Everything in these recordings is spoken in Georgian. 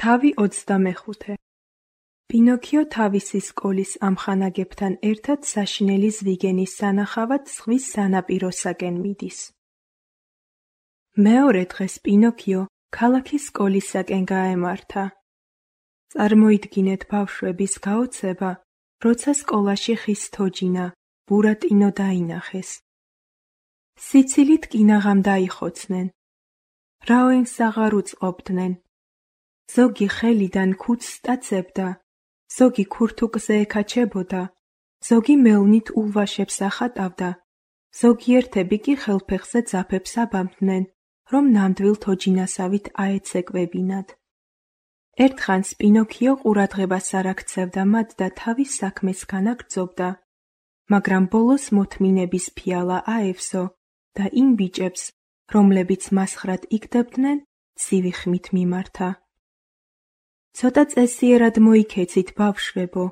თავი 25. პინოქიო თავისი სკოლის ამხანაგებთან ერთად საშინელი ზვიგენის სანახავად ზღვის სანაპიროსაკენ მიდის. მეორე დღეს პინოქიო ქალაქის სკოლისაკენ გაემართა. წარმოიდგინეთ ბავშვების გაოცება, როცა სკოლაში ხის თოჯინა, ბურატინო დაინახეს. სიცილით კინაღამ დაიხოცნენ. რაოენს აღარ უწყობდნენ. ზოგი ხელიდან ქუდს სტაცებდა, ზოგი ქურთუკზე ეკაჩებოდა, ზოგი მელნით ულვაშებს ახატავდა, ზოგიერთები კი ხელფეხზე ძაფებს აბამდნენ, რომ ნამდვილ თოჯინასავით აეცეკვებინათ. ერთხანს პინოქიო ყურადღებას არ აქცევდა მათ და თავის საქმეს განაგრძობდა, მაგრამ ბოლოს მოთმინების ფიალა აევსო და იმ ბიჭებს, რომლებიც მასხრად იქდებდნენ, ცივი ხმით მიმართა. ცოტა წესიერად მოიქეცით, ბავშვებო.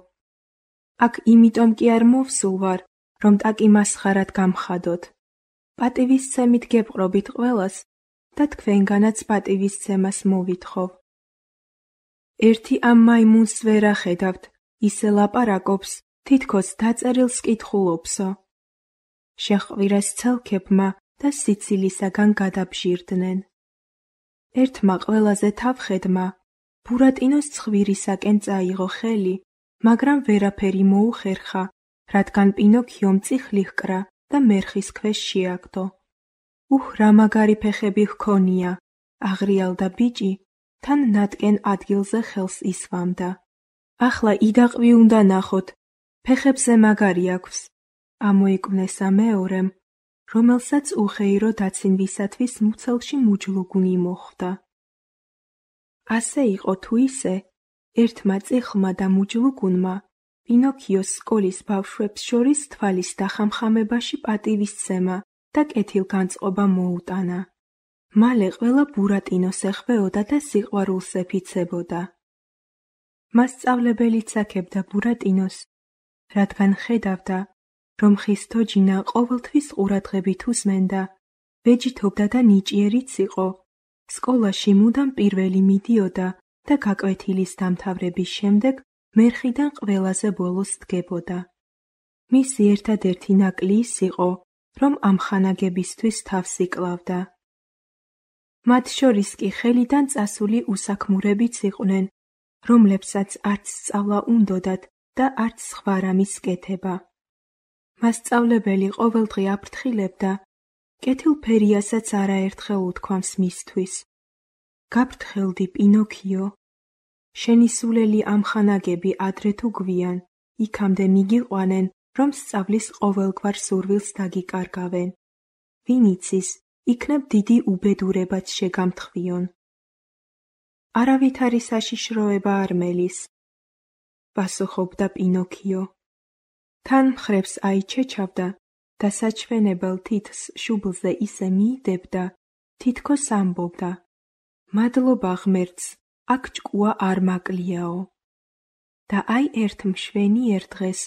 აქ იმიტომ კი არ მოვსულ ვარ, რომ ტაკი მასხარად გამხადოთ. პატივისცემით გეპყრობით ყველას და თქვენგანაც პატივისცემას მოვითხოვ. ერთი ამ მაიმუნს ვერ ახედავთ, ისე ლაპარაკობს, თითქოს დაწერილს კითხულობსო. შეჰყვირეს ცელქებმა და სიცილისაგან გადაბჟირდნენ. ერთმა ყველაზე თავხედმა ბურატინოს ცხვირისაკენ წაიღო ხელი, მაგრამ ვერაფერი მოუხერხა, რადგან პინოქიომ წიხლი ჰკრა და მერხის ქვეშ შეაგდო. რა მაგარი ფეხები ჰქონია, აღრიალდა ბიჭი, თან ნატკენ ადგილზე ხელს ისვამდა. ახლა იდაყვი უნდა ნახოთ, ფეხებზე მაგარი აქვს, ამოიკვნესა მეორემ, რომელსაც უხეირო დაცინვისათვის მუცელში მუჯლუგუნი მოხვდა. ასე იყო თუ ისე, ერთმა წიხლმა და მუჯლუგუნმა პინოქიოს სკოლის ბავშვებს შორის თვალის დახამხამებაში პატივისცემა და კეთილგანწყობა მოუტანა. მალე ყველა ბურატინოს ეხვეოდა და სიყვარულს ეფიცებოდა. მასწავლებელიც აქებდა ბურატინოს, რადგან ხედავდა, რომ ხის თოჯინა ყოველთვის ყურადღებით უსმენდა, ვეჯითობდა და ნიჭიერიც იყო. სკოლაში მუდამ პირველი მიდიოდა და გაკვეთილის დამთავრების შემდეგ მერხიდან ყველაზე ბოლოს დგებოდა. მისი ერთადერთი ნაკლი ის იყო, რომ ამხანაგებისთვის თავს იკლავდა. მათ შორის კი ხელიდან წასული უსაქმურებიც იყვნენ, რომლებსაც არც სწავლა უნდოდათ და არც სხვა რამის კეთება. მასწავლებელი ყოველდღე აფრთხილებდა, კეთილფერიასაც არაერთხელ უთქვამს მისთვის. გაფრთხილდი, პინოქიო. შენი სულელი ამხანაგები ადრე თუ გვიან, იქამდე მიგიყვანენ, რომ სწავლის ყოველგვარ სურვილს დაგიკარგავენ. ვინ იცის, იქნებ დიდი უბედურებაც შეგამთხვიონ. არავითარი საშიშროება არ მელის, პასუხობდა პინოქიო. თან მხრებს აიჩეჩავდა და საჩვენებელ თითს შუბლზე ისე მიიდებდა, თითქოს ამბობდა. მადლობა ღმერთს, აქ ჭკუა არ მაკლიაო. და აი ერთ მშვენიერ დღეს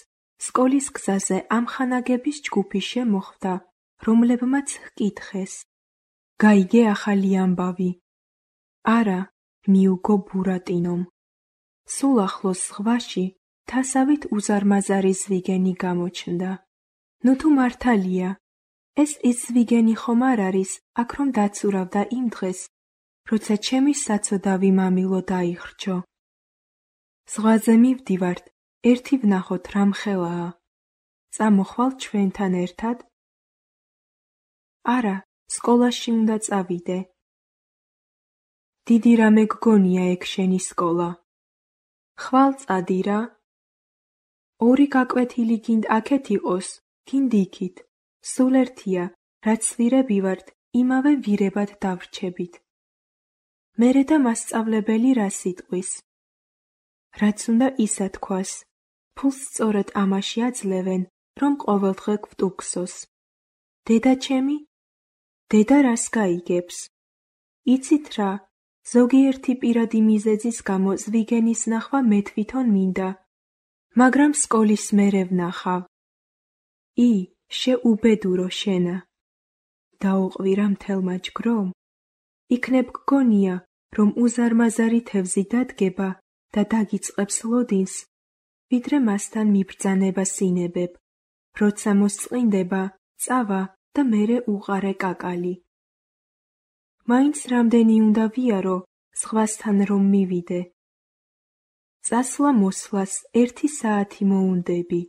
სკოლის გზაზე ამხანაგების ჯგუფი შემოხვდა, რომლებმაც ჰკითხეს. გაიგე ახალი ამბავი? არა, მიუგო ბურატინომ. სულ ახლოს ზღვაში თასავით უზარმაზარი ზვიგენი გამოჩნდა. ნუ თუ მართალია, ეს ის ზვიგენი ხომ არ არის, აქ რომ დაცურავდა იმ დღეს, როცა ჩემი საცოდავი მამილო დაიხრჩო. ზღვაზე მივდივართ, ერთი ვნახოთ რამ ხელაა. წამოხვალ ჩვენთან ერთად? არა, სკოლაში უნდა წავიდე. დიდი რამე გგონია ეგ შენი სკოლა. ხვალ წადი რა. ორი გაკვეთილი გინდ აქეთ იყოს, გინდ იქით. სულ ერთია, რაც ვირები ვართ, იმავე ვირებად დავრჩებით. მერე და მასწავლებელი რას იტყვის? რაც უნდა ისა თქვას, ფულს სწორედ ამაში აძლევენ, რომ ყოველდღე გვტუქსოს. დედა ჩემი? დედა რას გაიგებს? იცით რა, ზოგიერთი პირადი მიზეზის გამო ზვიგენის ნახვა მე თვითონ მინდა, მაგრამ სკოლის მერე ვნახავ. შეუბედურო შენა. დაუყვირა მთელმა ჯგრომ? იქნებ გგონია, რომ უზარმაზარი თევზი დადგება და დაგიწყებს ლოდინს, ვიდრე მასთან მიბრძანება სინებებ, როცა მოსწყინდება, წავა და მერე უყარე კაკალი. მაინც რამდენი უნდა ვიარო, ზღვასთან რომ მივიდე. წასვლა-მოსვლას 1 საათი მოუნდები.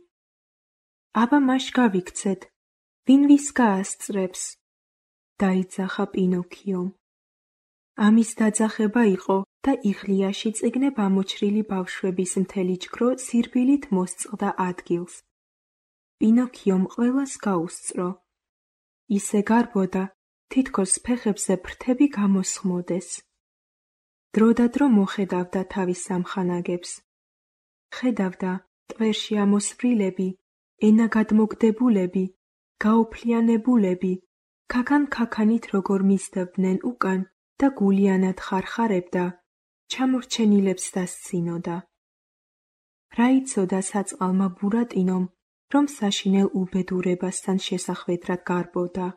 აბა მაშ გავიქცეთ, ვინ ვის გაასწრებს? დაიძახა პინოქიომ. ამის დაძახება იყო და იღლიაში წიგნებ ამოჩრილი ბავშვების მთელი ჯგრო სირბილით მოსწყდა ადგილს. პინოქიომ ყველას გაუსწრო. ისე გარბოდა, თითქოს ფეხებზე ფრთები გამოსხმოდეს. დროდადრო მოხედავდა თავის სამხანაგებს. ხედავდა ტვერში ამოსვრილები, ენაგადმოგდებულები, გაოფლიანებულები, ქაქან-ქაქანით როგორ მისდევდნენ უკან და გულიანად ხარხარებდა, ჩამორჩენილებს დასცინოდა. რა იცოდა საწყალმა ბურატინომ, რომ საშინელ უბედურებასთან შესახვედრად გარბოდა.